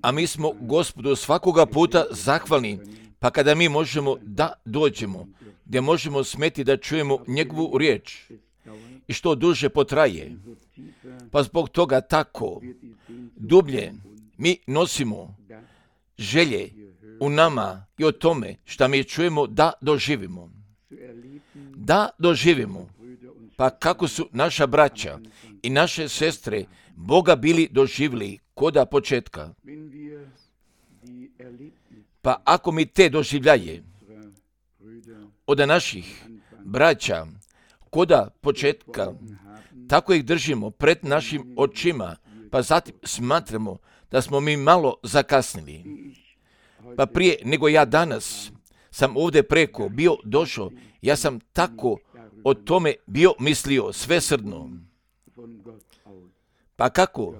A mi smo Gospodu svakoga puta zahvalni, pa kada mi možemo da dođemo, gdje možemo smeti da čujemo njegovu riječ i što duže potraje, pa zbog toga tako dublje mi nosimo želje u nama i o tome šta mi čujemo da doživimo. Da doživimo, pa kako su naša braća i naše sestre Boga bili doživjeli koda početka. Pa ako mi te doživljaje od naših braća koda početka, tako ih držimo pred našim očima, pa zatim smatramo da smo mi malo zakasnili. Pa prije nego ja danas sam ovdje preko bio došao, ja sam tako o tome bio mislio svesrdno. Pa kako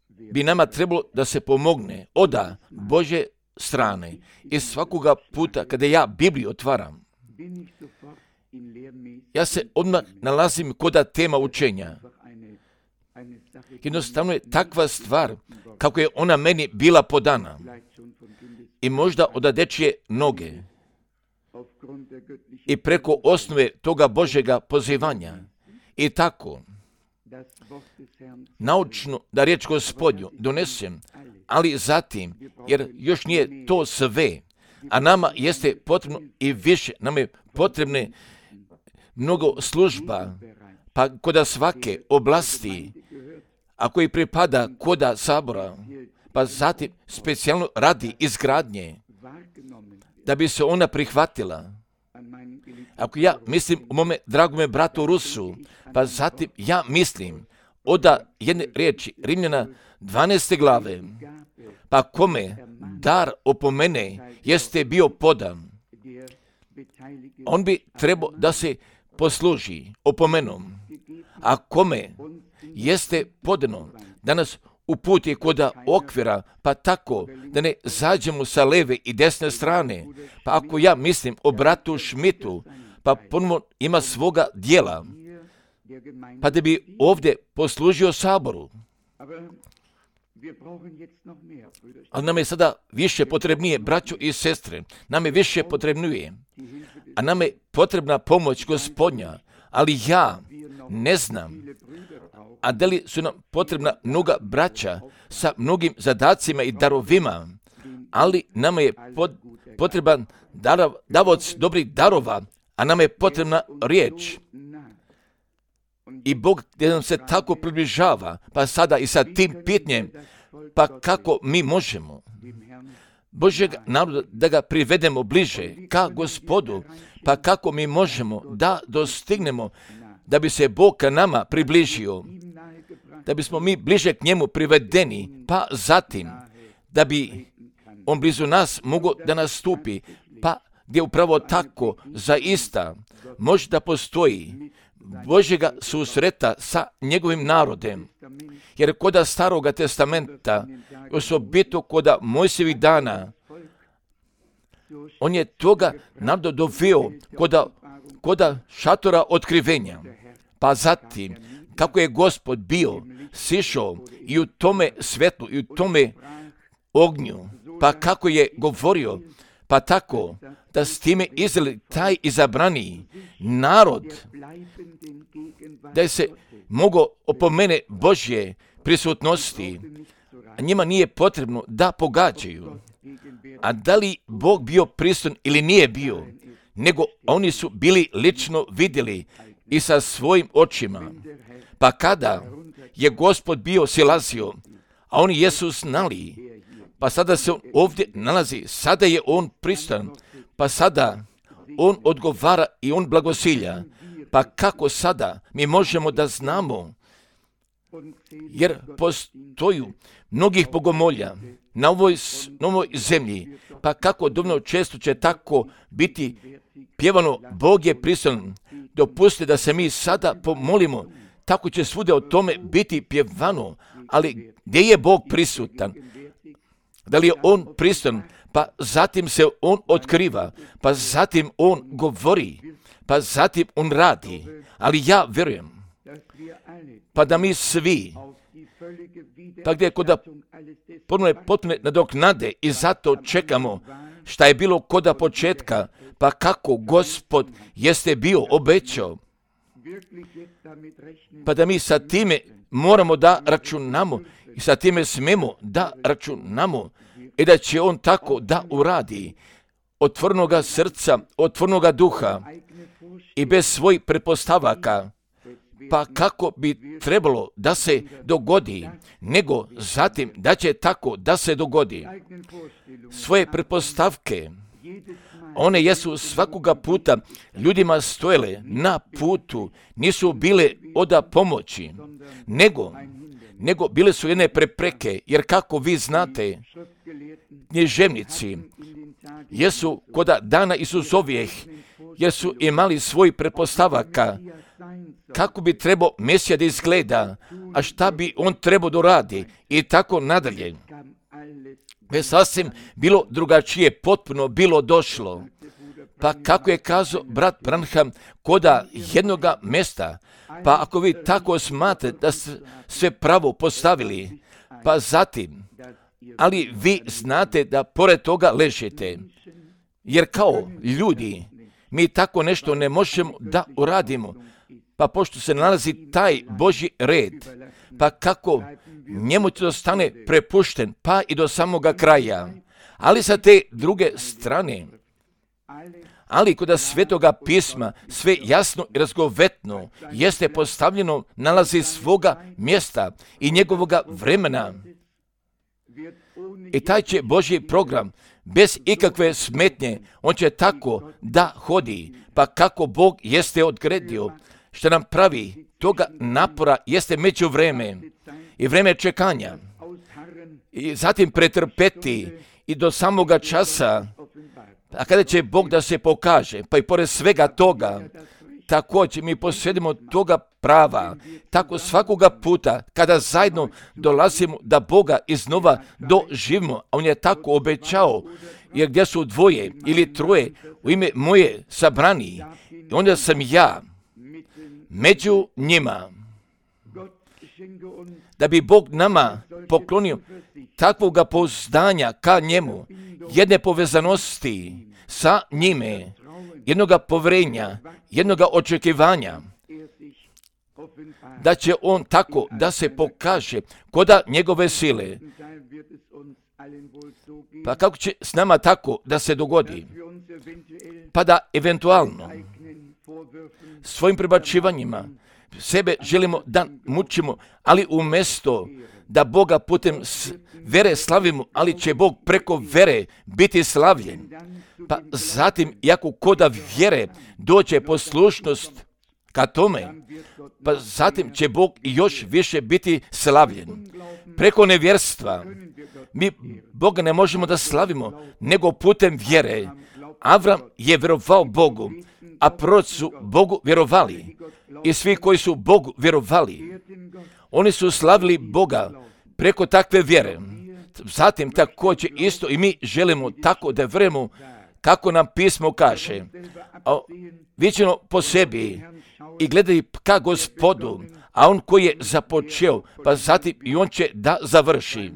bi nama trebalo da se pomogne od Božje strane i svakoga puta kada ja Bibliju otvaram, ja se odmah nalazim kod tema učenja. Jednostavno je takva stvar kako je ona meni bila podana i možda od dečje noge i preko osnove toga Božjega pozivanja i tako naučno da riječ Gospodnju donesem, ali zatim, jer još nije to sve, a nama jeste potrebno i više, nam je potrebne mnogo služba, pa kod svake oblasti, a koji pripada kod sabora, pa zatim specijalno radi izgradnje, da bi se ona prihvatila. Ako ja mislim o mome dragome bratu Rusu, pa zatim ja mislim od jedne riječi Rimljana 12. glave, pa kome dar opomene jeste bio podan, on bi trebao da se posluži opomenom, a kome jeste podano da nas uputi kod okvira, pa tako da ne zađemo sa leve i desne strane. Pa ako ja mislim o bratu Šmitu, pa ponovno ima svoga dijela, pa da bi ovdje poslužio saboru. Ali nam je sada više potrebnije, braćo i sestre, nam je više potrebnije, a nam je potrebna pomoć Gospodnja, ali ja ne znam, a da li su nam potrebna mnoga braća sa mnogim zadacima i darovima, ali nama je potreban davaoc dobrih darova, a nama je potrebna riječ. I Bog gdje nam se tako približava, pa sada i sa tim pitanjem, pa kako mi možemo Božjeg naroda da ga privedemo bliže ka Gospodu, pa kako mi možemo da dostignemo da bi se Bog ka nama približio, da bismo mi bliže k njemu privedeni, pa zatim da bi on blizu nas mogao da nastupi, pa gdje upravo tako zaista može da postoji Božjega susreta sa njegovim narodem. Jer kod Staroga testamenta, osobito kod Mojsijevih dana, on je toga naroda doveo kod šatora otkrivenja. Pa zatim, kako je Gospod bio sišao i u tome svetlu i u tome ognju, pa kako je govorio, pa tako da s time Izrael, taj izabrani narod, da je se mogao opomene Božje prisutnosti, a njima nije potrebno da pogađaju. A da li Bog bio prisutan ili nije bio, nego oni su bili lično vidjeli i sa svojim očima. Pa kada je Gospod bio silazio, a oni jesu znali, pa sada se on ovdje nalazi, sada je on prisutan, pa sada on odgovara i on blagosilja. Pa kako sada mi možemo da znamo, jer postoju mnogih bogomolja na ovoj zemlji, pa kako dovoljno često će tako biti pjevano, Bog je prisutan, dopustite da se mi sada pomolimo, tako će svude o tome biti pjevano, ali gdje je Bog prisutan? Da li je on prisutan, pa zatim se on otkriva, pa zatim on govori, pa zatim on radi, ali ja vjerujem, pa da mi svi pa gdje koda potpune nadoknade i zato čekamo šta je bilo koda početka, pa kako Gospod jeste bio obećao, pa da mi sa time moramo da računamo i sa time smemo da računamo i da će on tako da uradi otvornoga srca, otvornoga duha i bez svojih pretpostavaka. Pa kako bi trebalo da se dogodi, nego zatim da će tako da se dogodi. Svoje pretpostavke, one jesu svakoga puta ljudima stojele na putu, nisu bile od pomoći, nego bile su jedne prepreke, jer kako vi znate, književnici jesu koda dana Isusovijeh, jer su imali svoj pretpostavaka, kako bi trebao Mesija da izgleda, a šta bi on trebao da radi i tako nadalje. Već sasvim bilo drugačije, potpuno bilo došlo. Pa kako je kazao brat Branham, koda jednoga mesta, pa ako vi tako smatrate da ste sve pravo postavili, pa zatim, ali vi znate da pored toga ležete, jer kao ljudi, mi tako nešto ne možemo da uradimo, pa pošto se nalazi taj Božji red, pa kako njemu to stane prepušten, pa i do samoga kraja. Ali sa te druge strane, ali kod Svetoga pisma sve jasno i razgovetno jeste postavljeno, nalazi svoga mjesta i njegovoga vremena. I taj će Božji program bez ikakve smetnje, on će tako da hodi, pa kako Bog jeste odredio, što nam pravi toga napora jeste međuvreme i vreme čekanja i zatim pretrpeti i do samoga časa, a kada će Bog da se pokaže, pa i pored svega toga, također mi posjedimo toga prava, tako svakoga puta kada zajedno dolazimo da Boga iznova doživimo, a on je tako obećao, jer gdje su dvoje ili troje u ime moje sabrani, onda sam ja među njima. Da bi Bog nama poklonio takvoga pouzdanja ka njemu, jedne povezanosti sa njime, jednoga poverenja, jednoga očekivanja, da će on tako da se pokaže koda njegove sile. Pa kako će s nama tako da se dogodi? Pa da eventualno svojim prebačivanjima sebe želimo da mučimo, ali umjesto da Boga putem vere slavimo, ali će Bog preko vere biti slavljen. Pa zatim, jako koda vjere dođe poslušnost ka tome, pa zatim će Bog još više biti slavljen. Preko nevjerstva mi Boga ne možemo da slavimo, nego putem vjere. Avram je vjerovao Bogu, a proroci su Bogu vjerovali. I svi koji su Bogu vjerovali, oni su slavili Boga preko takve vjere. Zatim također isto i mi želimo tako da vjerujemo kako nam pismo kaže. Viđeno po sebi i gledaj ka Gospodu, a on koji je započeo, pa zatim i on će da završi.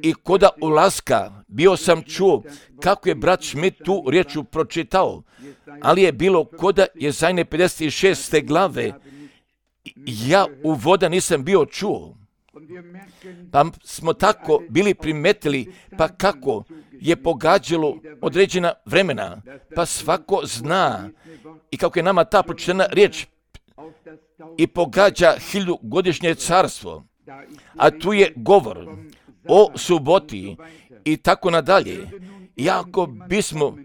I koda ulaska bio sam čuo kako je brat Schmidt tu riječu pročitao, ali je bilo koda Jezajne 56. glave, ja uvoda nisam bio čuo. Pa smo tako bili primetili, pa kako je pogađalo određena vremena, pa svako zna i kako je nama ta pročitana riječ i pogađa 1000-godišnje carstvo, a tu je govor o suboti i tako nadalje. I ako bismo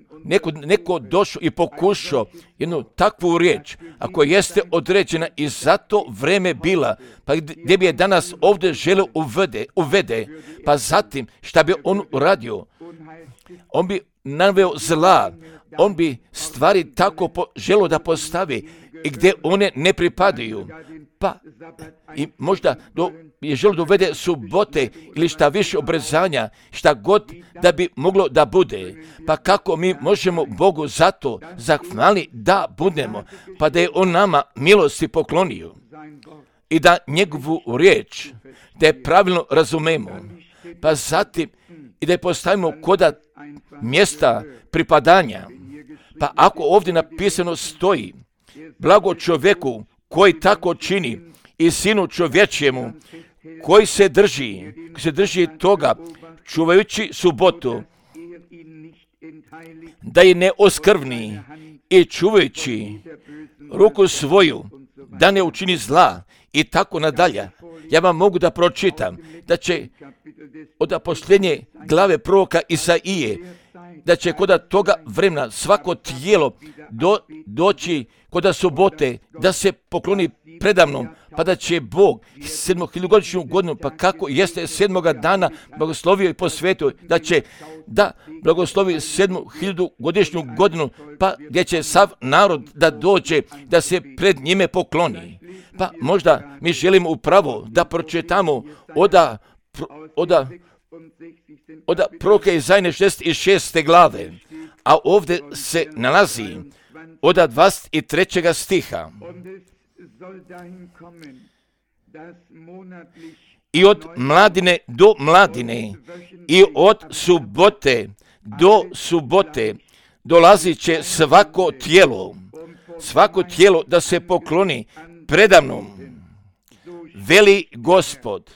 neko došao i pokušao jednu takvu riječ, ako jeste određena i zato vreme bila, pa gdje bi je danas ovdje želeo uvede, pa zatim šta bi on uradio? On bi naveo zla, on bi stvari tako želeo da postavi i gdje one ne pripadaju. Pa i možda je želio da uvede subote ili šta više obrezanja, šta god da bi moglo da bude. Pa kako mi možemo Bogu zato zahvali da budemo, pa da je on nama milosti poklonio. i da njegovu riječ, da je pravilno razumemo, pa zatim i da je postavimo koda mjesta pripadanja. Pa ako ovdje napisano stoji, blago čovjeku koji tako čini i sinu čovječjemu, koji se drži toga, čuvajući subotu, da je ne oskrvni i čuvajući ruku svoju, da ne učini zla i tako nadalje. Ja vam mogu da pročitam da će od posljednje glave proroka Isaije, da će kod toga vremena svako tijelo doći kod subote, da se pokloni predamnom, pa da će Bog 7.000-godišnju godinu, pa kako jeste 7. dana blagoslovio i posvetio, da će da blagoslovi 7.000-godišnju godinu, pa gdje će sav narod da dođe, da se pred njime pokloni. Pa možda mi želimo upravo da pročitamo od proroka Isaije 66. glave, a ovdje se nalazi od 23. stiha. I od mladine do mladine i od subote do subote dolazit će svako tijelo da se pokloni predamnom, veli Gospod.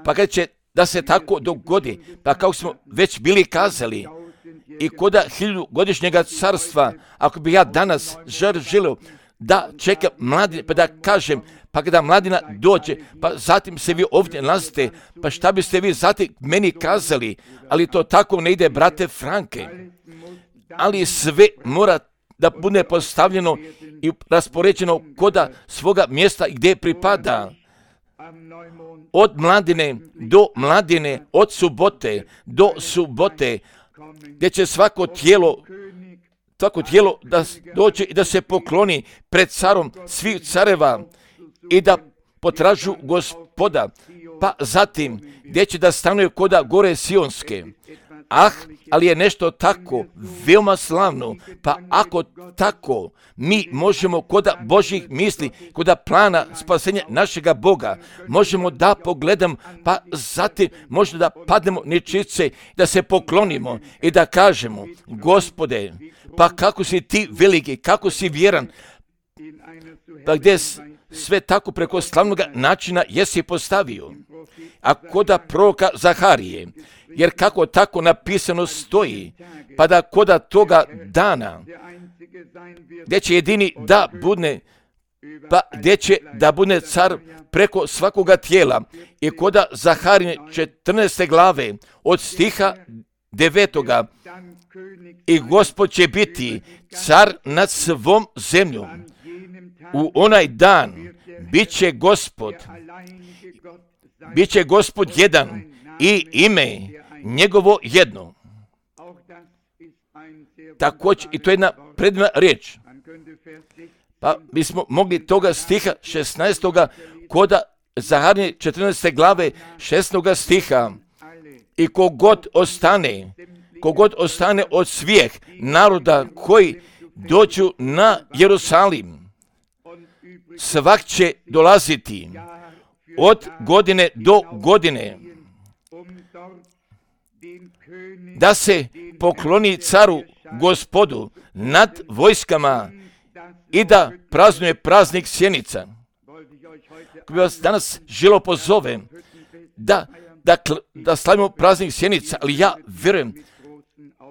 Pa kad će da se tako dogodi, pa kao smo već bili kazali, i koda 1000-godišnjega carstva, ako bi ja danas želio da čekam mladine, pa da kažem, pa kada mladina dođe, pa zatim se vi ovdje nalazite, pa šta biste vi zatim meni kazali, ali to tako ne ide, brate Franke. Ali sve mora da bude postavljeno i raspoređeno koda svoga mjesta gdje pripada. Od mladine do mladine, od subote do subote, gdje će svako tijelo da dođe i da se pokloni pred carom svih careva i da potražu Gospoda, pa zatim gdje će da stanuje koda gore Sionske. Ali je nešto tako veoma slavno, pa ako tako mi možemo koda Božjih misli, koda plana spasenja našega Boga, možemo da pogledamo, pa zatim možemo da padnemo ničice, da se poklonimo i da kažemo, Gospode, pa kako si ti veliki, kako si vjeran, pa gdje sve tako preko slavnog načina jesi postavio. A koda proroka Zaharije, jer kako tako napisano stoji, pa da koda toga dana, gdje će jedini da bude, pa gdje će da bude car preko svakoga tijela, i koda Zaharije 14. glave od stiha 9. I Gospod će biti car nad svom zemljom. U onaj dan bit će Gospod jedan i ime njegovo jedno. Također, i to je jedna predivna riječ. Pa bismo mogli toga stiha 16. koda Zaharije 14. glave 16. stiha. I kogod ostane od svih naroda koji dođu na Jerusalim, svak će dolaziti od godine do godine, da se pokloni caru Gospodu nad vojskama i da praznuje praznik sjenica. Ako bi vas danas želo pozovem da slavimo praznik sjenica, ali ja vjerujem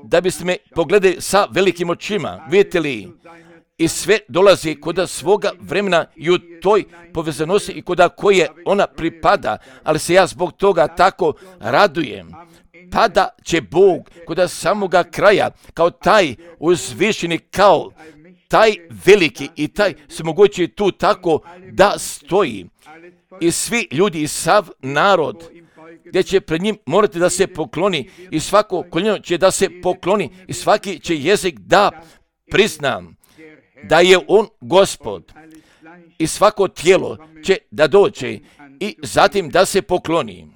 da biste me pogledali sa velikim očima, vidite li, i sve dolazi koda svoga vremena i u toj povezanosti i koda koje ona pripada, ali se ja zbog toga tako radujem. Pa da će Bog koda samoga kraja, kao taj uzvišeni, kao taj veliki i taj svemogući tu tako da stoji. I svi ljudi i sav narod, gdje će pred njim morati da se pokloni, i svako koljeno će da se pokloni, i svaki će jezik da priznam da je on Gospod, i svako tijelo će da dođe i zatim da se pokloni.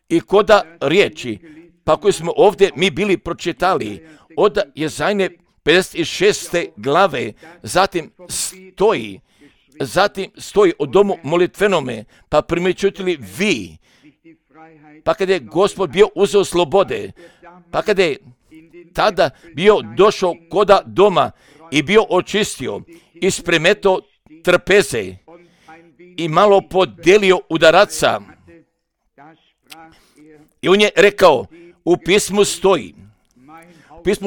I koda riječi, pa koje smo ovdje mi bili pročitali, od Jesaje 56. glave, zatim stoji, zatim stoji o domu molitvenome, pa primjećujete vi, pa kada je Gospod bio uzeo slobode, pa kada je tada bio došao koda doma i bio očistio i spremetao trpeze i malo podelio udaraca. I on je rekao, u pismu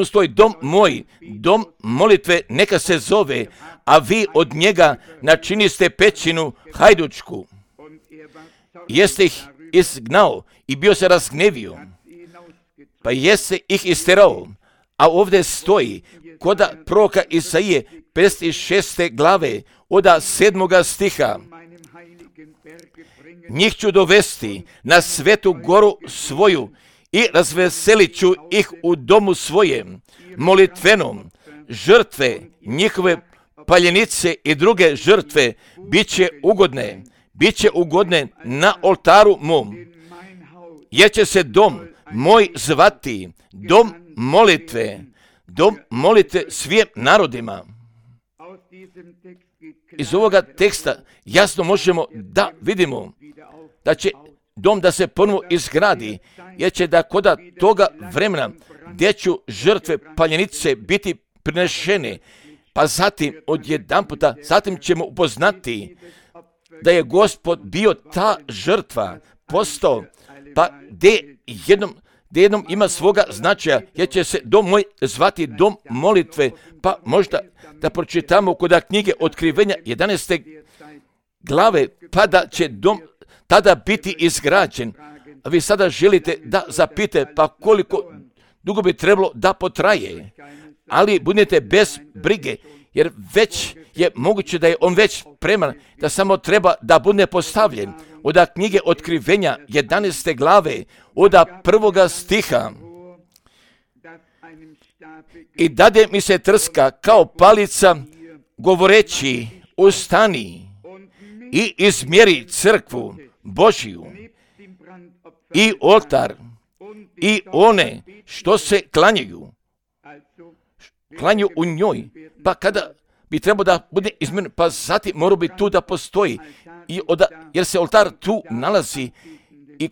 stoji, dom moj, dom molitve neka se zove, a vi od njega načiniste pećinu hajdučku. Jeste ih izgnao i bio se razgnevio, pa jeste ih isterao. A ovdje stoji, koda proroka Isaije, 56. glave, od 7. stiha. Njih ću dovesti na svetu goru svoju i razveselit ću ih u domu svojem, molitvenom, žrtve, njihove paljenice i druge žrtve bit će ugodne na oltaru mom, jer će se dom moj zvati dom molitve svim narodima. Iz ovoga teksta jasno možemo da vidimo da će dom da se ponovo izgradi, jer će da koda toga vremena gdje ću žrtve paljenice biti prinešene, pa zatim odjedanputa, zatim ćemo upoznati da je Gospod bio ta žrtva, postao, pa gdje jednom ima svoga značaja, jer će se dom moj zvati dom molitve, pa možda da pročitamo kod knjige Otkrivenja 11. glave, pa da će dom tada biti izgrađen. A vi sada želite da zapite, pa koliko dugo bi trebalo da potraje. Ali budete bez brige, jer već je moguće da je on već spreman, da samo treba da bude postavljen. Od knjige Otkrivenja 11. glave, od 1. stiha. I dade mi se trska kao palica, govoreći, ustani i izmjeri crkvu Božiju i oltar i one što se klanjaju u njoj. Pa kada bi trebao da bude izmjeren, pa zatim mora bi tu da postoji, jer se oltar tu nalazi i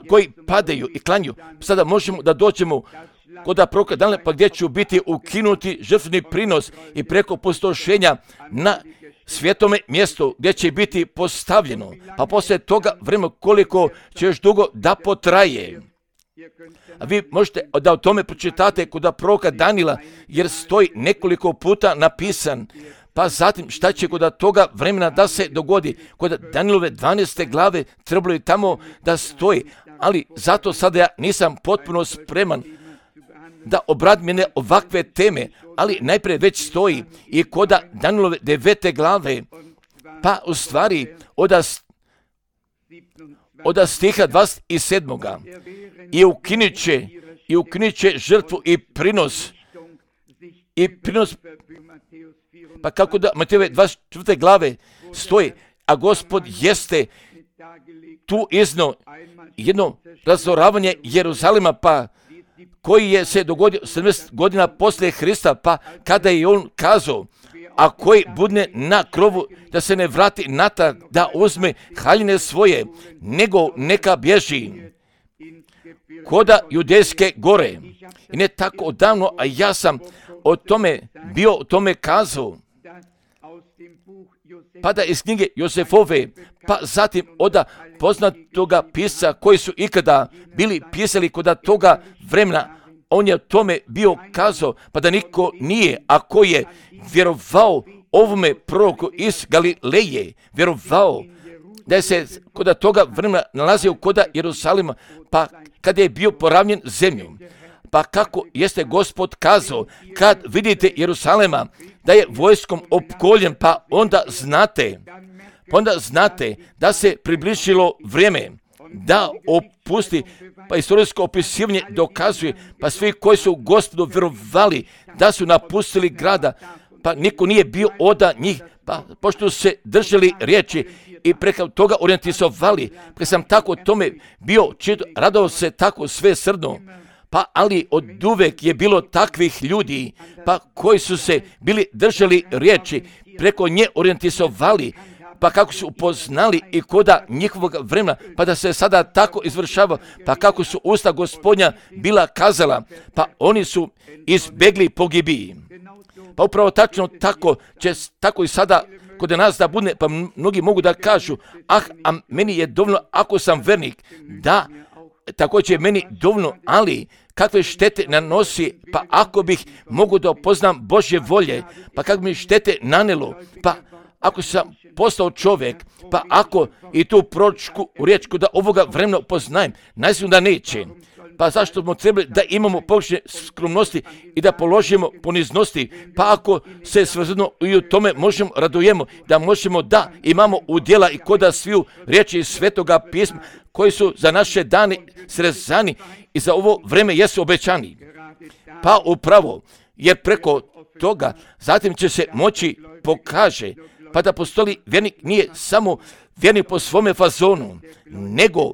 koji padaju i klanju. Sada možemo da dođemo kod proroka Danila, pa gdje ću biti ukinuti žrtveni prinos i preko pustošenja na svetome mjestu gdje će biti postavljeno. Pa poslije toga vremena koliko će još dugo da potraje. A vi možete da o tome pročitate kod proroka Danila, jer stoji nekoliko puta napisan. Pa zatim šta će kod toga vremena da se dogodi? Kod Danilove 12. glave trebalo je tamo da stoji, ali zato sada ja nisam potpuno spreman da obradim mene ovakve teme, ali najprije već stoji i kod Danilove 9. glave, pa u stvari od stiha 27. I ukinit će žrtvu i prinos, pa kako da Matejove 24. glave stoji, a Gospod jeste tu iznio jedno razoravanje Jeruzalema, pa koji je se dogodio 70 godina poslije Hrista, pa kada je on kazao, a koji budne na krovu da se ne vrati natrag, da uzme haljine svoje, nego neka bježi koda Judejske gore. I ne tako odavno, a ja sam o tome kazao, pa da iz knjige Josefove, pa zatim od poznatoga pisca koji su ikada bili pisali kod toga vremena, on je o tome bio kazao, pa da niko nije, a ko je vjerovao ovome proroku iz Galileje, vjerovao da je se kod toga vremena nalazio kod Jerusalima, pa kada je bio poravnjen zemljom. Pa kako jeste Gospod kazao, kad vidite Jerusalema da je vojskom opkoljen, pa onda znate da se približilo vrijeme da opusti, pa istorijsko opisivanje dokazuje, pa svi koji su Gospodu vjerovali da su napustili grada, pa niko nije bio od njih, pa pošto su se držali riječi i preko toga orijentisovali, pa sam tako tome bio radao se tako sve srdno. Pa ali od uvek je bilo takvih ljudi, pa koji su se bili držali riječi, preko nje orijentisovali, pa kako su upoznali i koda njihovog vremena, pa da se sada tako izvršava, pa kako su usta Gospodnja bila kazala, pa oni su izbjegli pogibiji. Pa upravo tačno tako će tako i sada kod nas da bude, pa mnogi mogu da kažu, a meni je dovoljno ako sam vernik, da, tako će meni dovoljno, ali kakve štete nanosi, pa ako bih mogu da poznam Božje volje, pa kako mi štete nanelo, pa ako sam postao čovjek, pa ako i tu proročku riječ da ovoga vremena poznajem, najsigurno da neće. Pa zašto smo trebali da imamo površne skromnosti i da položimo poniznosti, pa ako se svrzno i u tome možemo radujemo, da možemo da imamo udjela i koda sviju riječi iz Svetoga pisma koji su za naše dane srezani i za ovo vreme jesu obećani. Pa upravo, jer preko toga zatim će se moći pokaže, pa da postoji vjernik nije samo vjernik po svome fazonu, nego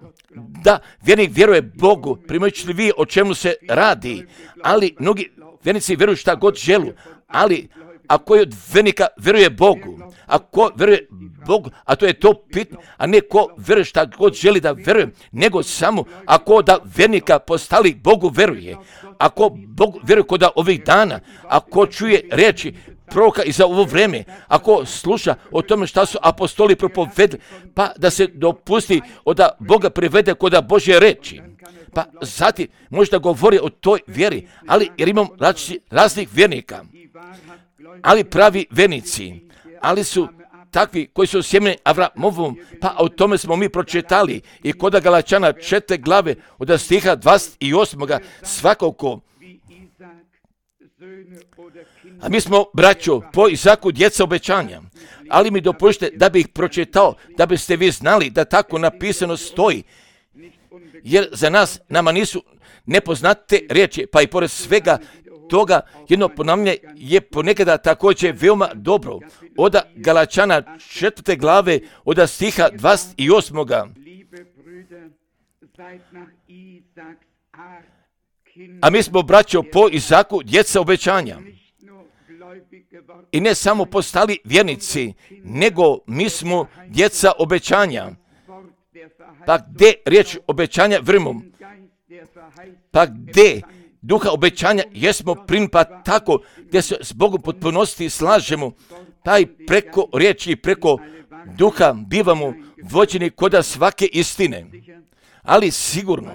da vjernik vjeruje Bogu, primajući li vi o čemu se radi, ali mnogi vjernici vjeruju šta god želu, ali ako je od vjernika vjeruje Bogu, ako vjeruje Bogu, a to je to pitanje, a ne ko vjeruje šta god želi da vjeruje, nego samo ako da vjernika postali Bogu vjeruje, ako Bog vjeruje kod ovih dana, ako čuje riječi proroka i za ovo vrijeme, ako sluša o tome šta su apostoli propovedali, pa da se dopusti da Boga privede kod Božje reči. Pa zatim možda govori o toj vjeri, ali jer imam raznih vjernika, ali pravi vjernici, ali su takvi koji su sjemeni Avramovom, pa o tome smo mi pročitali i kod Galačana 4. glave od stiha 28. svakako. A mi smo, braćo, po Izaku djeca obećanja, ali mi dopušte da bih pročitao, da biste vi znali da tako napisano stoji, jer za nas, nama nisu nepoznate riječi, pa i pored svega toga jedno ponavljanje je ponekada također veoma dobro. Od Galačana 4. glave od stiha 28. A mi smo, braćo, po Izaku djeca obećanja. I ne samo postali vjernici, nego mi smo djeca obećanja. Pa gdje riječ obećanja vrimo? Pa gdje duha obećanja jesmo primili, pa tako gdje se s Bogom potpunosti slažemo, pa i preko riječi i preko duha bivamo vođeni koda svake istine. Ali sigurno,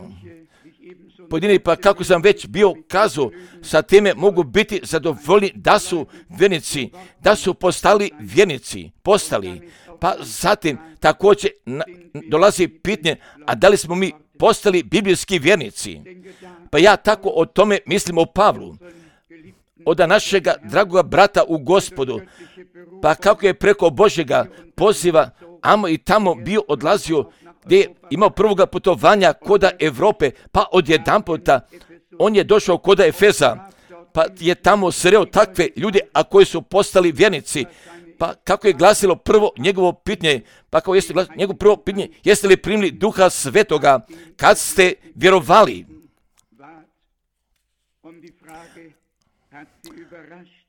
pojedini, pa kako sam već bio kazao, sa time mogu biti zadovoljni da su vjernici, da su postali vjernici, pa zatim također dolazi pitanje, a da li smo mi postali biblijski vjernici? Pa ja tako o tome mislim o Pavlu, od našega dragoga brata u Gospodu, pa kako je preko Božjega poziva, amo i tamo bio odlazio, gdje je imao prvoga putovanja koda Evrope, pa odjedanputa on je došao koda Efeza, pa je tamo sreo takve ljude, a koji su postali vjernici, pa kako je glasilo prvo njegovo pitanje, pa kao jeste glasilo njegovo prvo pitanje, jeste li primili Duha Svetoga kad ste vjerovali?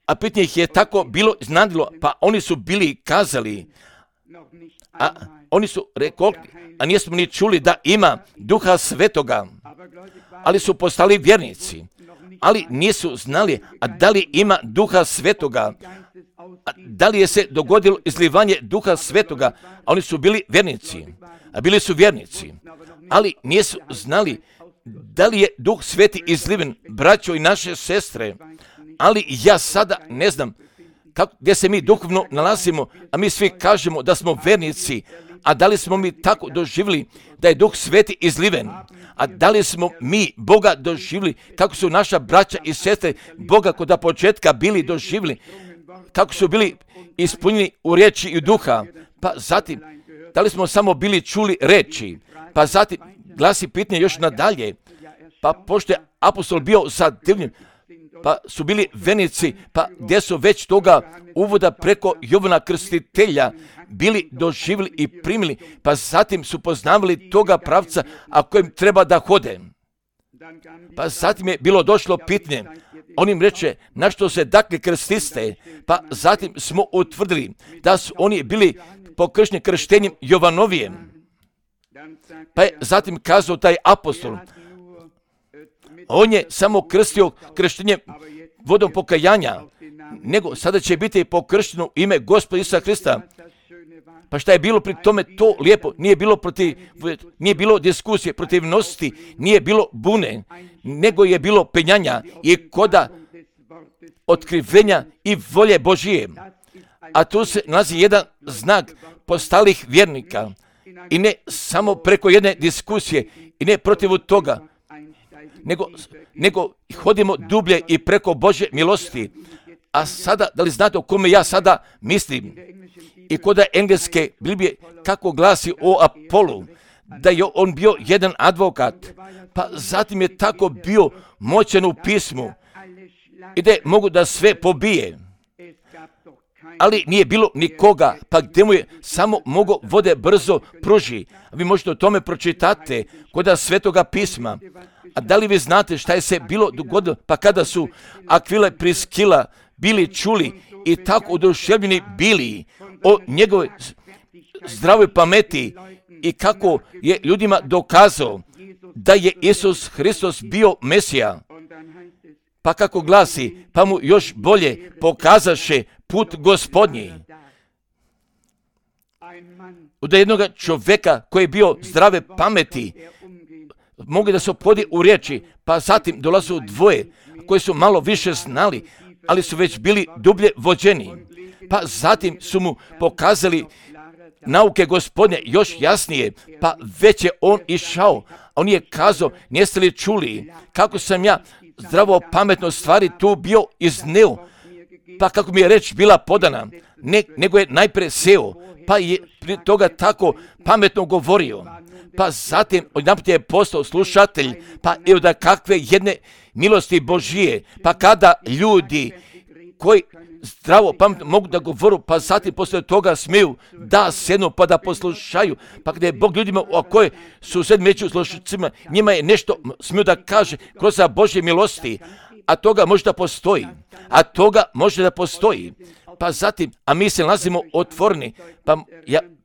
A pitanje ih je tako bilo iznenadilo, pa oni su bili kazali, a oni su rekli, a nismo ni čuli da ima Duha Svetoga, ali su postali vjernici, ali nisu znali, a da li ima Duha Svetoga, a da li je se dogodilo izlivanje Duha Svetoga, a oni su bili vjernici, a bili su vjernici, ali nisu znali da li je Duh Sveti izliven, braćo i naše sestre, ali ja sada ne znam gdje se mi duhovno nalazimo, a mi svi kažemo da smo vjernici, a da li smo mi tako doživjeli da je Duh Sveti izliven, a da li smo mi Boga doživjeli kako su naša braća i sestre Boga kod početka bili doživjeli, kako su bili ispunjeni u riječi i duha, pa zatim da li smo samo bili čuli reči, pa zatim glasi pitanje još nadalje, pa pošto je apostol bio zadivljen, pa su bili vjernici, pa gdje su već toga uvoda preko Jovana Krstitelja bili doživjeli i primili, pa zatim su poznavali toga pravca, a kojem treba da hode. Pa zatim je bilo došlo pitanje, On im reče, na što se dakle krstiste, pa zatim smo utvrdili da su oni bili pokršteni krštenjem Jovanovijem. Pa je zatim kazao taj apostol, on je samo krstio krštenjem vodom pokajanja, nego sada će biti pokršteno u ime Gospoda Isusa Hrista. Pa šta je bilo pri tome to lijepo? Nije bilo diskusije, protivnosti, nije bilo bune, nego je bilo penjanja i koda otkrivenja i volje Božije. A tu se nalazi jedan znak postalih vjernika i ne samo preko jedne diskusije i ne protiv toga, nego hodimo dublje i preko Božje milosti. A sada, da li znate o kome ja sada mislim? I koda engleske Biblije kako glasi o Apolu, da je on bio jedan advokat, pa zatim je tako bio moćan u pismu i da je mogu da sve pobije. Ali nije bilo nikoga, pa gdje mu je samo mogo vode brzo pruži. Vi možete o tome pročitati koda Svetoga pisma. A da li vi znate šta je se bilo dogodilo? Pa kada su Akvila i Priskila bili čuli i tako oduševljeni bili o njegovoj zdravoj pameti i kako je ljudima dokazao da je Isus Hristos bio Mesija. Pa kako glasi, pa mu još bolje pokazaše put Gospodnji. Od jednog čovjeka koji je bio zdrave pameti, mogli da se opodi u riječi, pa zatim dolazu dvoje koji su malo više znali, ali su već bili dublje vođeni. Pa zatim su mu pokazali nauke Gospodnje još jasnije, pa već je on išao. On je kazao, jeste li čuli kako sam ja zdravo pametno stvari tu bio izneo, pa kako mi je reč bila podana, nego je najpre seo, pa je prije toga tako pametno govorio. Pa zatim odjedanput je postao slušatelj, pa evo da kakve jedne milosti Božije, pa kada ljudi koji zdravo pametno mogu da govoru, pa zatim poslije toga smiju da sednu pa da poslušaju, pa kada je Bog ljudima koji su sedmi među slušacima, njima je nešto smiju da kaže kroz Božje milosti, a toga može da postoji, pa zatim, a mi se nalazimo otvoreni, pa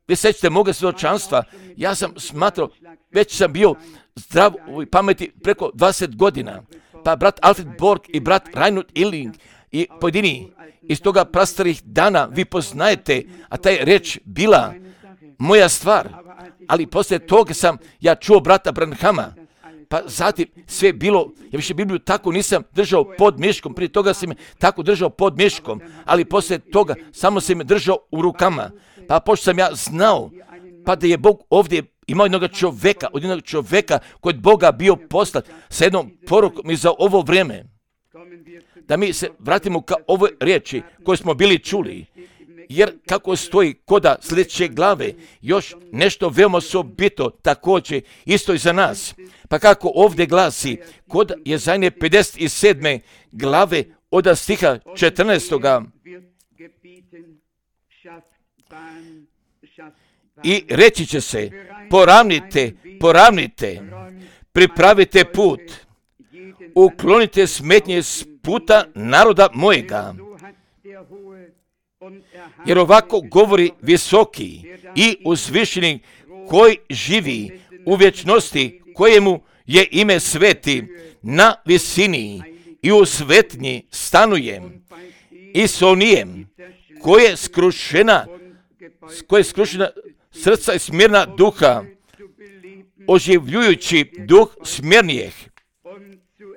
vi sećate moga svjedočanstva, ja sam smatrao, već sam bio zdrav u pameti preko 20 godina, pa brat Alfred Borg i brat Reinhard Illing i pojedini iz toga prastarih dana vi poznajete, a taj reč bila moja stvar, ali poslije toga sam ja čuo brata Branhama, pa zatim sve bilo, ja više Bibliju tako nisam držao pod miškom, prije toga sam je tako držao pod miškom, ali poslije toga samo sam je držao u rukama, pa pošto sam ja znao, pa da je Bog ovdje imao jednog čovjeka kod Boga bio poslat sa jednom porukom i za ovo vrijeme. Da mi se vratimo ka ovoj riječi koju smo bili čuli, jer kako stoji koda sljedeće glave, još nešto veoma osobito također isto i za nas. Pa kako ovdje glasi, kod Jezaje 57. glave od stiha 14. I reći će se, poravnite, pripravite put, uklonite smetnje s puta naroda mojega. Jer ovako govori visoki i uzvišeni koji živi u vječnosti, kojemu je ime sveti, na visini i u svetnji stanujem i s onijem koje je skrušena srca i smirna duha, oživljujući duh smirnijeh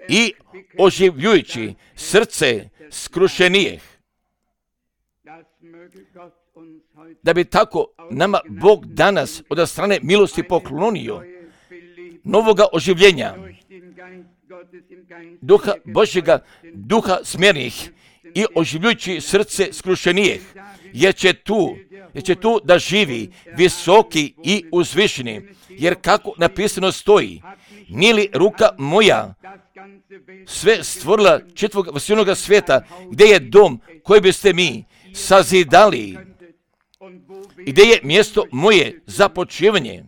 i oživljujući srce skrušenijeh. Da bi tako nama Bog danas od strane milosti poklonio novoga oživljenja, duha Božjega, duha smjernih i oživljujući srce skrušenijeh, jer će tu da živi visoki i uzvišeni, jer kako napisano stoji, nije li ruka moja sve stvorila četvog vasilnoga svijeta, gdje je dom koji biste mi sazidali i gdje je mjesto moje za počivanje,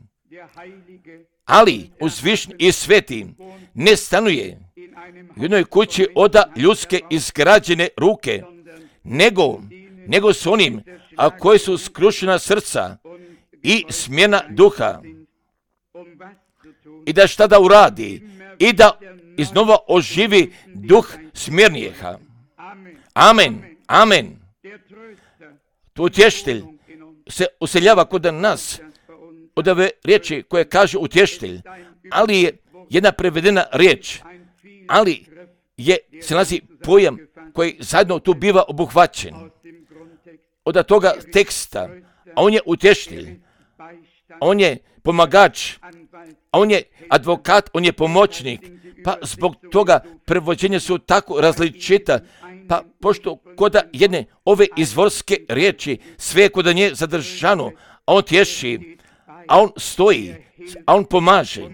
ali uzvišen i sveti ne stanuje u jednoj kući oda ljudske izgrađene ruke, nego s onim, a koji su skrušena srca i smjena duha. I da šta da uradi? I da iznova oživi duh smjernijeha. Amen, amen. Tu utještelj se useljava kod nas od ove riječi koje kaže utještelj, ali je jedna prevedena riječ, ali se nalazi pojam koji zajedno tu biva obuhvaćen od toga teksta, a on je utještelj, on je pomagač, a on je advokat, on je pomoćnik, pa zbog toga prevođenja su tako različita, pa pošto koda jedne ove izvorske riječi, sve je koda nje zadržano, a on tješi, a on stoji, a on pomaže.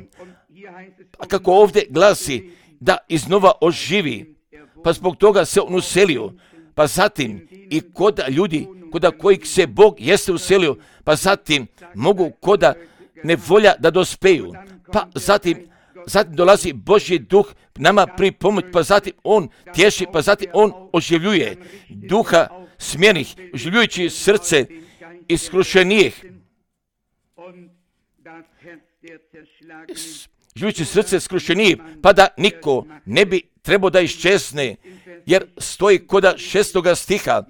A kako ovdje glasi da iznova oživi, pa zbog toga se on uselio, pa zatim i koda ljudi, koda kojih se Bog jeste uselio, pa zatim mogu koda nevolja da dospeju, pa zatim dolazi Božji duh nama pri pomoć, pa zatim on tješi, pa zatim on oživljuje duha smjernih, oživljujući srce iskrušenijih. Oživljujući srce skrušenijih, pa da niko ne bi trebao da iščezne, jer stoji koda 6. stiha,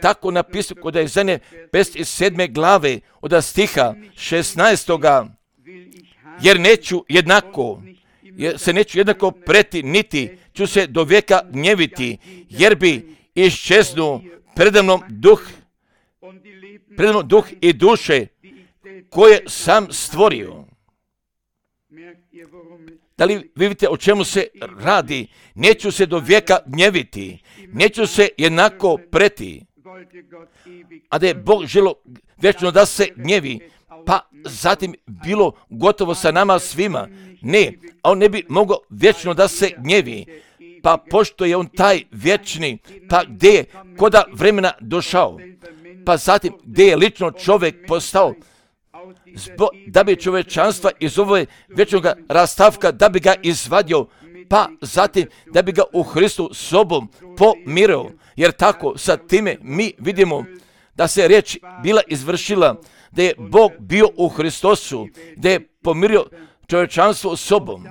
tako napisano koda je Izaije 57. glave, od stiha 16. Jer se neću jednako preti, niti ću se do vijeka gnjeviti, jer bi iščeznuo predamnom duh i duše koje sam stvorio. Da li vi vidite o čemu se radi? Neću se do vijeka gnjeviti, neću se jednako preti. A da je Bog želio vječno da se gnjevi, pa zatim bilo gotovo sa nama svima. Ne, a on ne bi mogao vječno da se gnjevi. Pa pošto je on taj vječni, pa gdje je koda vremena došao, pa zatim gdje je lično čovjek postao, da bi čovječanstva iz ove vječnog rastavka, da bi ga izvadio, pa zatim da bi ga u Hristu sobom pomirao. Jer tako sa time mi vidimo da se riječ bila izvršila, da je Bog bio u Hristosu, da je pomirio čovječanstvo sobom.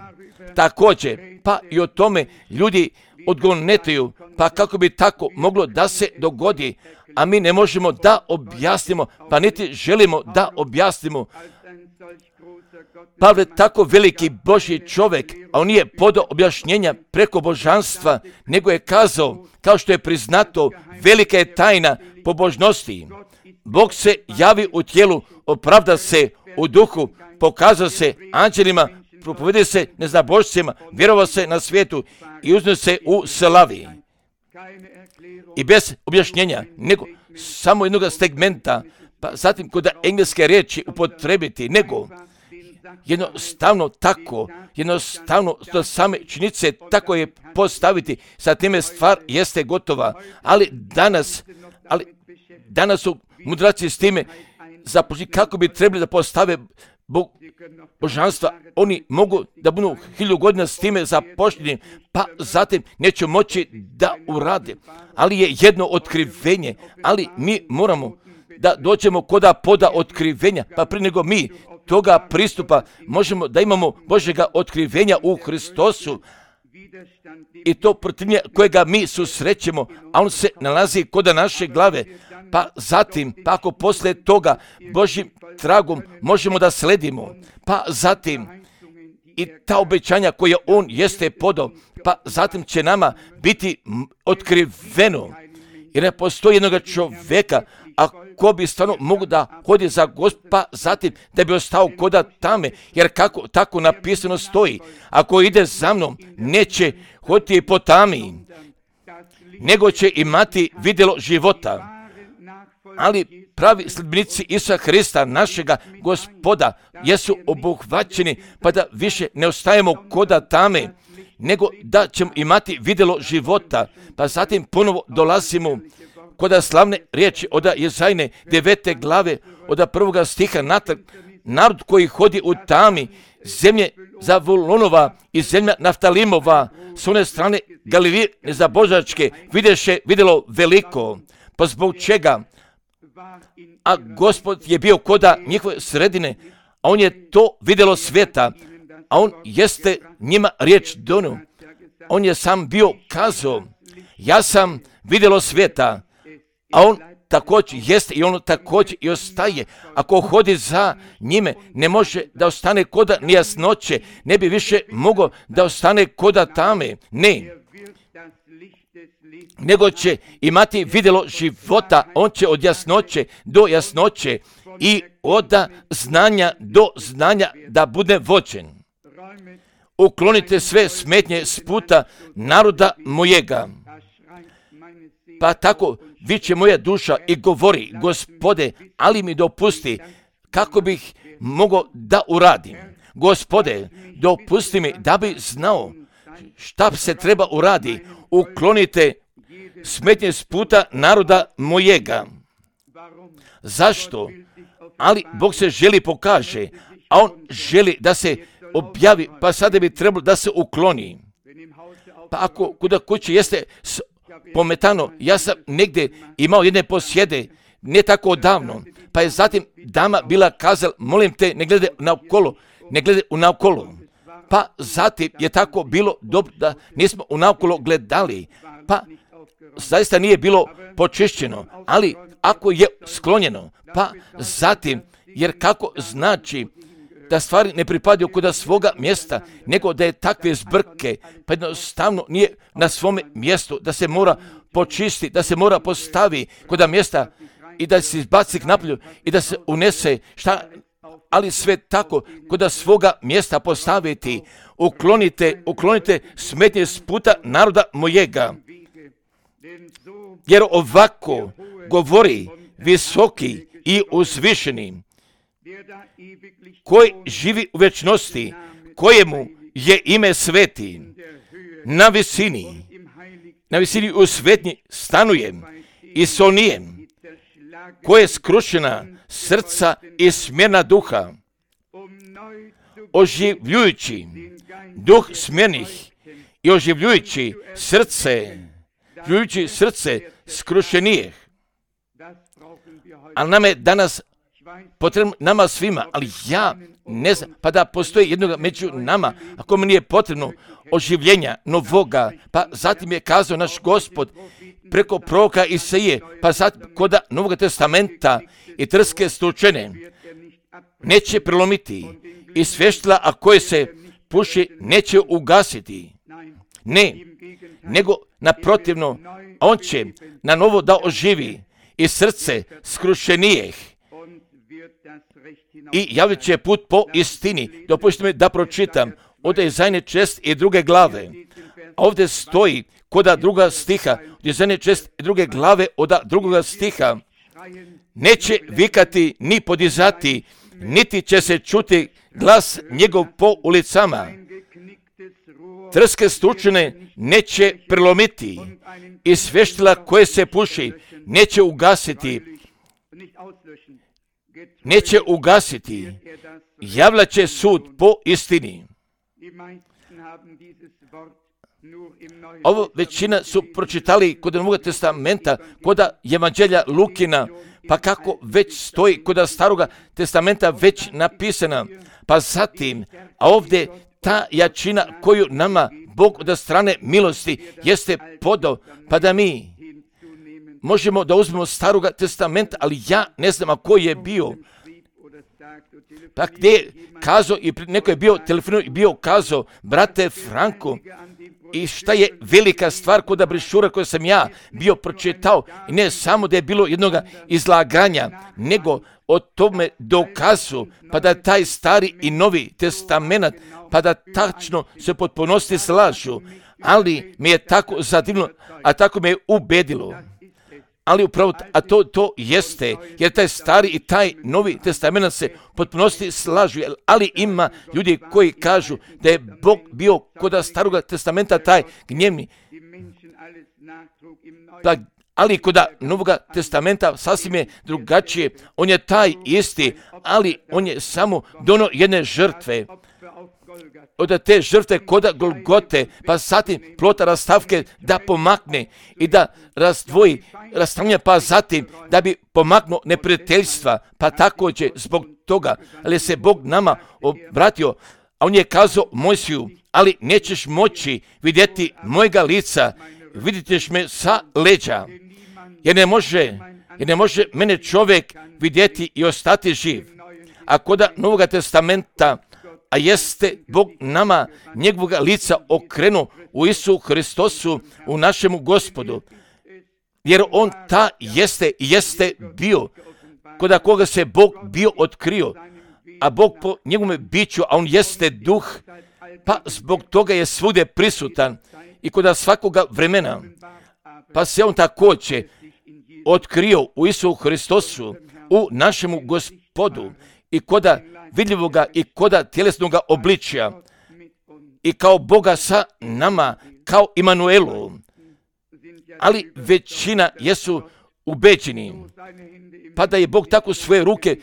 Također, pa i o tome ljudi odgonetaju, pa kako bi tako moglo da se dogodi, a mi ne možemo da objasnimo, pa niti želimo da objasnimo. Pavle, tako veliki Božji čovjek, a on nije podao objašnjenja preko božanstva, nego je kazao, kao što je priznato, velika je tajna pobožnosti. Bog se javi u tijelu, opravda se u duhu, pokazao se anđelima, propovede se neznabošcima, vjerovao se na svijetu i uznio se u slavi. I bez objašnjenja, nego samo jednog segmenta, pa zatim kod engleske riječi upotrebiti, nego jednostavno tako, jednostavno do same činjenice tako je postaviti, sa time stvar jeste gotova, ali danas su mudraci s time započeli kako bi trebali da postave božanstva, oni mogu da budu 1000 godina s time započeli, pa zatim neće moći da urade. Ali je jedno otkrivenje, ali mi moramo da dođemo koda poda otkrivenja, pa prije nego mi toga pristupa možemo da imamo Božjega otkrivenja u Hristosu, i to protivljenje kojega mi susrećemo, a on se nalazi kod naše glave, pa zatim, pa ako poslije toga Božjim tragom možemo da sledimo, pa zatim i ta obećanja koje on jeste podao, pa zatim će nama biti otkriveno, jer ne postoji jednog čovjeka, a ko bi stvarno mogu da hodi za Gospoda, zatim da bi ostao koda tame, jer kako tako napisano stoji, ako ide za mnom, neće hoditi po tami, nego će imati vidjelo života. Ali pravi sledbenici Isusa Hrista, našega Gospoda, jesu obuhvaćeni, pa da više ne ostajemo koda tame, nego da ćemo imati vidjelo života. Pa zatim ponovo dolazimo koda slavne riječi od Izaije 9. glave, od 1. stiha natrag, narod koji hodi u tami zemlje Zavulonova i zemlja Naftalimova, s one strane Galilije nezabožačke, vidjelo veliko. Pa zbog čega? A Gospod je bio koda njihove sredine, a on je to vidjelo svijeta, a on jeste njima riječ donio. On je sam bio kazao, ja sam vidjelo svijeta, a on također jeste i on također i ostaje. Ako hodi za njime, ne može da ostane koda nejasnoće, ne bi više mogao da ostane koda tame, ne. Nego će imati vidjelo života, on će od jasnoće do jasnoće i od znanja do znanja da bude vođen. Uklonite sve smetnje s puta naroda mojega. Pa tako viče moja duša i govori, Gospode, ali mi dopusti kako bih mogao da uradim. Gospode, dopusti mi da bi znao šta se treba uradi. Uklonite smetnje s puta naroda mojega. Zašto? Ali Bog se želi pokaže, a on želi da se objavi, pa sada bi trebalo da se ukloni. Pa ako kuda kući jeste pometano, ja sam negdje imao jedne posjede, ne tako odavno, pa je zatim dama bila kazala, molim te, ne gledaj naokolo. Pa zatim je tako bilo dobro da nismo naokolo gledali, pa zaista nije bilo počišćeno, ali ako je sklonjeno, pa zatim, jer kako znači da stvari ne pripadaju kuda svoga mjesta, nego da je takve zbrke, pa jednostavno nije na svome mjestu, da se mora počisti, da se mora postavi kuda mjesta i da se izbaci napolju i da se unese ali sve tako kuda svoga mjesta postaviti. Uklonite smetnje s puta naroda mojega. Jer ovako govori visoki i uzvišeni, koji živi u večnosti, kojemu je ime sveti, na visini u svetnji stanujem i sonijem, koje je skrušena srca i smjerna duha, oživljujući duh smjernih i oživljujući srce skrušenijeh. Ali nam je danas potrebno, nama svima, ali ja ne znam, pa da postoji jednoga među nama, ako mi nije potrebno oživljenja novoga, pa zatim je kazao naš Gospod preko proroka Isaije, pa zatim kod Novog testamenta i trske stučene neće prelomiti i svještila, a koje se puši, neće ugasiti. Ne, nego naprotivno, on će na novo da oživi i srce skrušenijeh i javit će put po istini. Dopustite mi da pročitam od Izaije 6 i 2. glave. Ovdje stoji koda 2. stiha, od Izaije 6 i 2. glave od 2. stiha. Neće vikati ni podizati, niti će se čuti glas njegov po ulicama. Trske stučene neće prelomiti i svještila koje se puši neće ugasiti, javljat će sud po istini. Ovo većina su pročitali kod Novog testamenta, kod Evanđelja Lukina, pa kako već stoji kod Staroga testamenta već napisana, pa zatim, a ovdje ta jačina koju nama Bog od strane milosti jeste podao, pa da mi možemo da uzmemo Staroga testamenta, ali ja ne znam koji je bio. Pa gdje je kazao i neko je bio telefonuo i bio kazao, brate Franko, i šta je velika stvar kod brišura koju sam ja bio pročitao, i ne samo da je bilo jednog izlaganja, nego o tome dokazu, pa da taj stari i novi testament, pa da tačno se potpunosti slažu, ali mi je tako zadivno, a tako me je ubedilo. Ali upravo, a to jeste, jer taj stari i taj novi testament se potpunosti slažu, ali ima ljudi koji kažu da je Bog bio kod Staroga testamenta taj gnjevni. Ali kod Novoga testamenta sasvim je drugačije. On je taj isti, ali on je samo dono jedne žrtve. Od te žrtve kod Golgote, pa zatim plota rastavke da pomakne i da razdvoji rastavljanje, pa zatim da bi pomaknuo neprijateljstva, pa također zbog toga, ali se Bog nama obratio, a on je kazao Mojsiju, ali nećeš moći vidjeti mojega lica, vidjet ćeš me sa leđa, jer ne može mene čovjek vidjeti i ostati živ. A kod Novoga testamenta, a jeste Bog nama njegovoga lica okrenuo u Isu Hristosu, u našemu Gospodu, jer on ta jeste bio, kod koga se Bog bio otkrio, a Bog po njegovome biću, a on jeste duh, pa zbog toga je svugdje prisutan i kod svakoga vremena, pa se on također otkrio u Isu Hristosu, u našemu Gospodu, i koda vidljivoga i koda tjelesnoga obličja, i kao Boga sa nama, kao Imanuelu. Ali većina jesu ubeđeni, pa da je Bog tako svoje ruke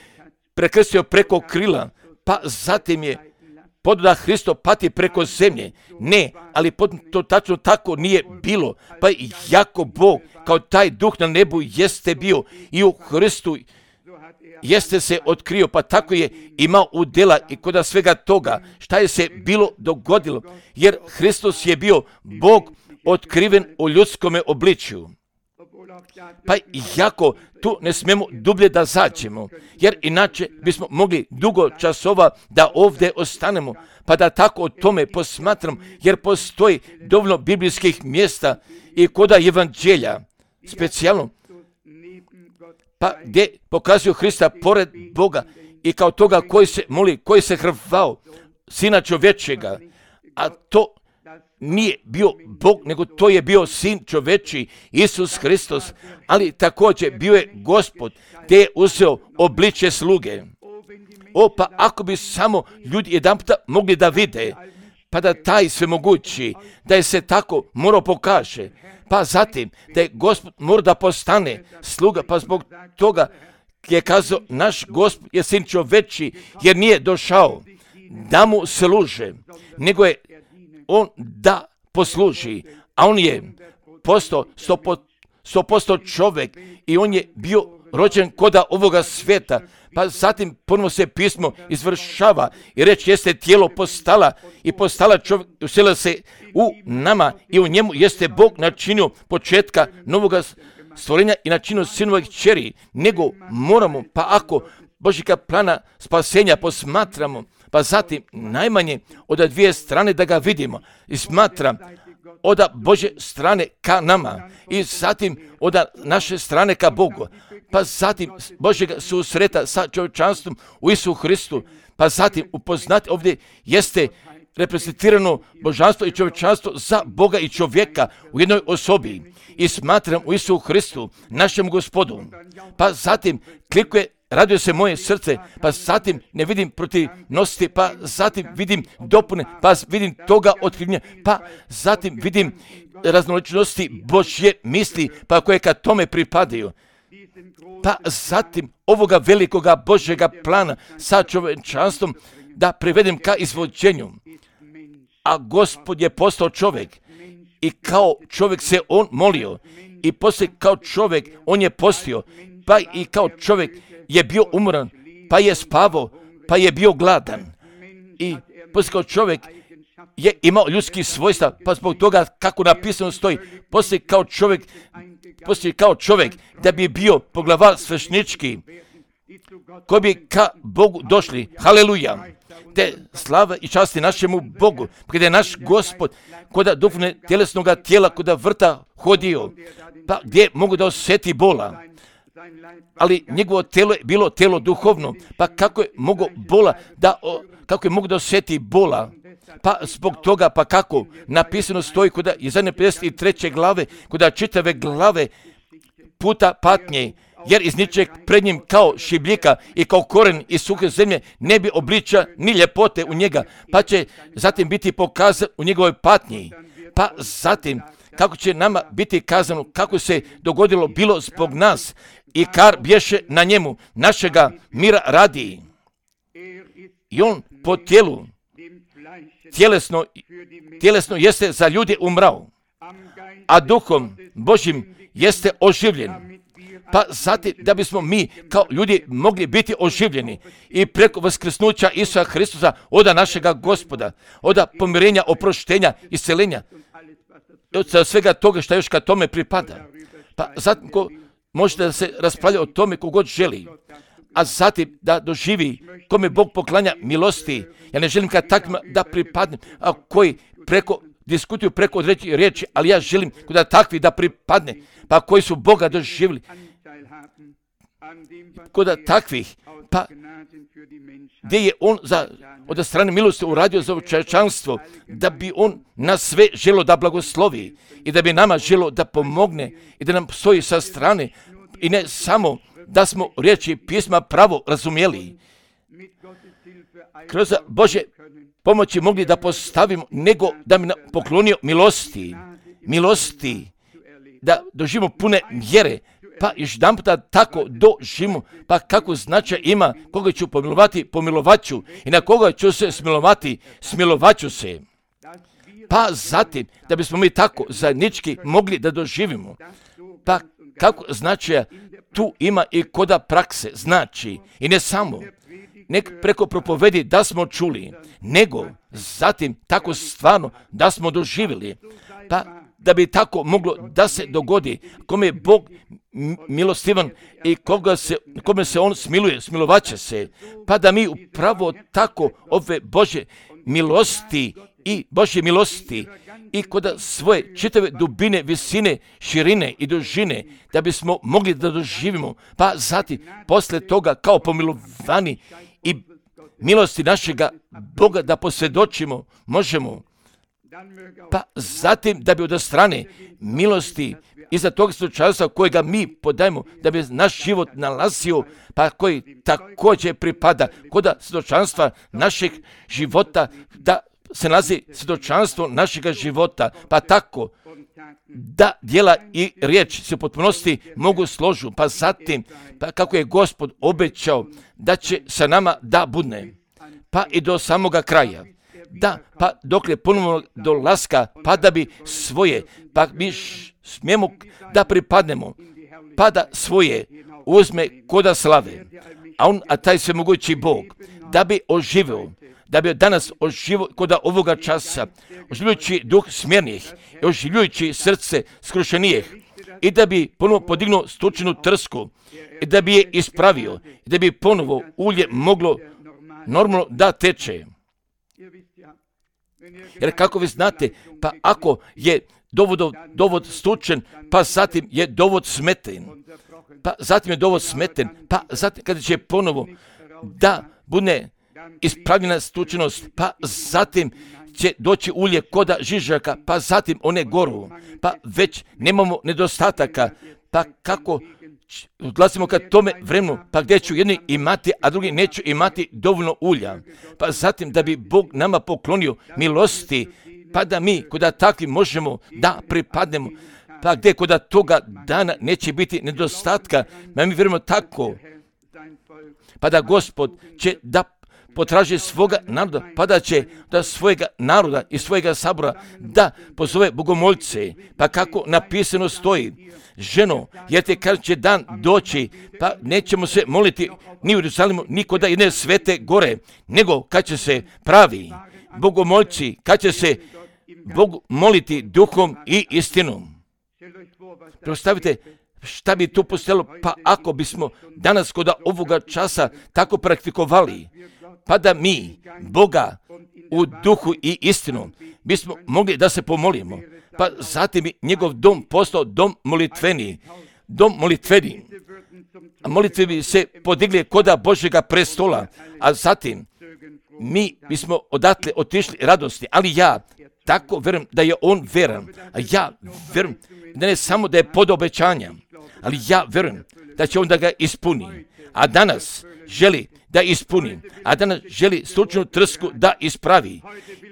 prekrstio preko krila, pa zatim je pododa Hristo pati preko zemlje. Ne, ali to tačno tako nije bilo. Pa jako Bog, kao taj duh na nebu, jeste bio i u Hristu jeste se otkrio, pa tako je imao udjela i kod svega toga šta je se bilo dogodilo, jer Hristos je bio Bog otkriven u ljudskome obličju. Pa jako tu ne smijemo dublje da zađemo, jer inače bismo mogli dugo časova da ovdje ostanemo, pa da tako o tome posmatram, jer postoji dovoljno biblijskih mjesta i kod evanđelja, specijalno, pa gdje pokazuju Hrista pored Boga i kao toga koji se moli, koji se hrvao, Sina čovječega, a to nije bio Bog, nego to je bio Sin čovječiji, Isus Hristos, ali također bio je Gospod, gdje je uzeo obličje sluge. Pa ako bi samo ljudi jedanputa mogli da vide, pa da taj svemogući, da je se tako morao pokaže, pa zatim da je Gospod mora da postane sluga, pa zbog toga je kazao naš Gospod je Sin čovječiji, jer nije došao da mu služe, nego je on da posluži, a on je postao 100% čovjek i on je bio rođen koda ovoga svijeta, pa zatim ponovno se pismo izvršava i reč jeste tijelo postala čovjek, uselila se u nama i u njemu jeste Bog načinio početka novoga stvorenja i načinio sinovih kćeri, nego moramo, pa ako Božjega plana spasenja posmatramo, pa zatim najmanje od dvije strane da ga vidimo i smatram od Božje strane ka nama i zatim od naše strane ka Bogu, pa zatim Božjega susreta sa čovječanstvom u Isu Hristu, pa zatim upoznati ovdje jeste reprezentirano božanstvo i čovječanstvo za Boga i čovjeka u jednoj osobi i smatram u Isu Hristu, našem Gospodu, pa zatim klikuje, raduje se moje srce, pa zatim ne vidim protivnosti, pa zatim vidim dopune, pa vidim toga otkrivenja, pa zatim vidim raznoličnosti Božje misli, pa koje ka tome pripadaju. Pa zatim ovoga velikoga Božjega plana sa čovječanstvom da privedem ka izvođenju. A Gospod je postao čovjek i kao čovjek se on molio i poslije kao čovjek on je postio, pa i kao čovjek je bio umoran, pa je spavao, pa je bio gladan. I poslije kao čovjek je imao ljudski svojstva, pa zbog toga kako napisano stoji, poslije kao čovjek da bi bio poglavar svešnički, koji bi ka Bogu došli. Haleluja! Te slava i časti našemu Bogu, kada je naš Gospod koda duhovne tjelesnoga tijela, koda vrta hodio, pa gdje mogu da osjeti bola. Ali njegovo tijelo je bilo tijelo duhovno, pa kako je mogu da osjeti bola? Pa zbog toga, pa kako napisano stoji kod Jesaja 53. glave, kod čitave glave puta patnje, jer iz ničeg pred njim kao šibljika i kao koren iz suhe zemlje ne bi obliča ni ljepote u njega, pa će zatim biti pokazan u njegovoj patnji. Pa zatim kako će nama biti kazano, kako se dogodilo bilo zbog nas i kar bješe na njemu, našega mira radi. I on po tijelu, tjelesno jeste za ljude umrao, a duhom Božjim jeste oživljen. Pa zatim da bismo mi kao ljudi mogli biti oživljeni i preko vaskrsnuća Isusa Hristusa oda našega Gospoda, oda pomirenja, oproštenja, isceljenja, od svega toga što još ka tome pripada. Pa zatim ko može da se raspravlja o tome kogod želi, a zatim da doživi kome Bog poklanja milosti. Ja ne želim kad takvima da pripadnem, a koji diskutuju preko određenih riječi, ali ja želim da takvi da pripadne, pa koji su Boga doživjeli. Kod takvih, pa gdje je on od strane milosti uradio za čovječanstvo, da bi on nas sve želo da blagoslovi i da bi nama želo da pomogne i da nam stoji sa strane i ne samo da smo riječi pisma pravo razumjeli, kroz Božje pomoći mogli da postavimo, nego da mi poklonio milosti, da doživimo pune vjere, pa još jedan puta tako doživimo, pa kako značaj ima, koga ću pomilovati, pomilovaću, i na koga ću se smilovati, smilovaću se. Pa zatim, da bismo mi tako zajednički mogli da doživimo, pa kako značaja tu ima i koda prakse, znači, i ne samo, nek preko propovedi da smo čuli, nego zatim tako stvarno da smo doživjeli, pa da bi tako moglo da se dogodi, kome je Bog milostivan i kome se on smiluje, smilovaće se, pa da mi upravo tako ove Božje milosti i kod svoje čitave dubine, visine, širine i dužine, da bismo mogli da doživimo, pa zatim posle toga kao pomilovani i milosti našega Boga da posvjedočimo, možemo, pa zatim da bi od strane milosti iza tog slučajstva kojega mi podajemo, da bi naš život nalazio, pa koji također pripada kod svjedočanstva našeg života, da se nalazi svjedočanstvo našega života, pa tako da djela i riječ se u potpunosti mogu složu, pa zatim, pa kako je Gospod obećao da će sa nama da budne, pa i do samoga kraja. Da, pa dokle ponovno dolaska, pa da bi svoje, pa mi smijemo da pripadnemo, pa da svoje uzme koda slave, a taj svemogući Bog, da bi oživio, da bi danas oživio koda ovoga časa, oživljujući duh smjernih, oživljujući srce skrušenijih, i da bi ponovo podignuo stučenu trsku, i da bi je ispravio, i da bi ponovo ulje moglo normalno da teče. Jer kako vi znate, pa ako je dovod stučen, pa zatim je dovod smeten, pa zatim kada će ponovo da bude ispravljena stučenost, pa zatim će doći ulje koda žižaka, pa zatim one goru, pa već nemamo nedostataka, pa kako odlazimo ka tome vremenu, pa gdje ću jedni imati, a drugi neću imati dovoljno ulja, pa zatim da bi Bog nama poklonio milosti, pa da mi koda takvi možemo da pripadnemo, pa gdje koda toga dana neće biti nedostatka, mi vjerujemo tako, pa da Gospod će da potraži svoga naroda, pa da će da svojega naroda i svojega sabora da pozove bogomoljce, pa kako napisano stoji, ženo, jer te kad će dan doći, pa nećemo se moliti ni u Jerusalimu, ni kod jedne svete gore, nego kad će se pravi bogomoljci, kad će se Bog moliti duhom i istinom. Predstavite šta bi tu postojalo, pa ako bismo danas kod ovoga časa tako praktikovali, pa da mi Boga u duhu i istinu bismo mogli da se pomolimo, pa zatim bi njegov dom postao dom molitveni, a molitve bi se podigli koda Božjega prestola, a zatim mi bismo odatle otišli radosti, ali ja tako vjerujem da je on veran, a ja vjerujem da ne samo da je pod obećanja, ali ja vjerujem da će on da ga ispuni, a danas želi da ispuni, a danas želi stručnu trsku da ispravi.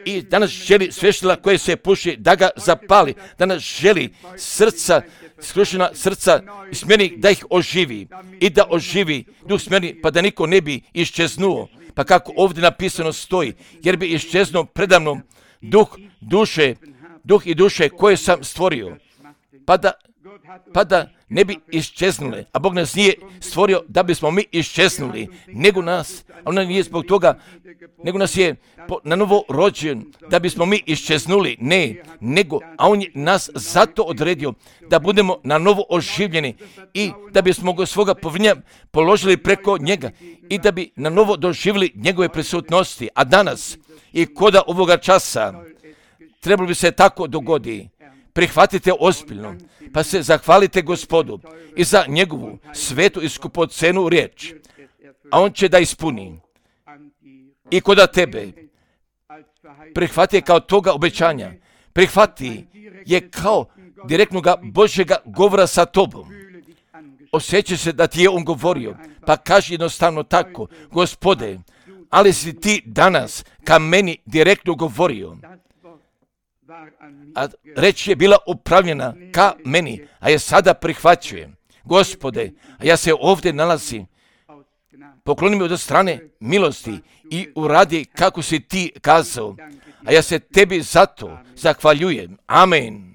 I danas želi svještila koje se puši da ga zapali. Danas želi srca, skrušena srca smjernih da ih oživi i da oživi duh smjerni pa da niko ne bi iščeznuo. Pa kako ovdje napisano stoji, jer bi iščeznuo predamnom duh i duše koje sam stvorio, pa da ne bi iščeznule. A Bog nas nije stvorio da bismo mi iščeznuli, nego nas, on nije zbog toga, nego nas je na novo rođen da bismo mi iščeznuli. Ne, nego, a on je nas zato odredio da budemo na novo oživljeni i da bismo ga svoga povjerenja položili preko njega i da bi na novo doživjeli njegove prisutnosti. A danas i koda ovoga časa trebalo bi se tako dogodi. Prihvatite ozbiljno, pa se zahvalite Gospodu i za njegovu svetu i skupocenu riječ, a on će da ispuni. I koda tebe prihvati kao toga obećanja, prihvati je kao direktnoga Božjega govora sa tobom. Osjeća se da ti je on govorio, pa kaži jednostavno tako, Gospode, ali si ti danas ka meni direktno govorio. A reč je bila upravljena ka meni, a je sada prihvaćujem. Gospode, a ja se ovdje nalazim, pokloni mi od strane milosti i uradi kako si ti kazao, a ja se tebi zato zahvaljujem. Amen.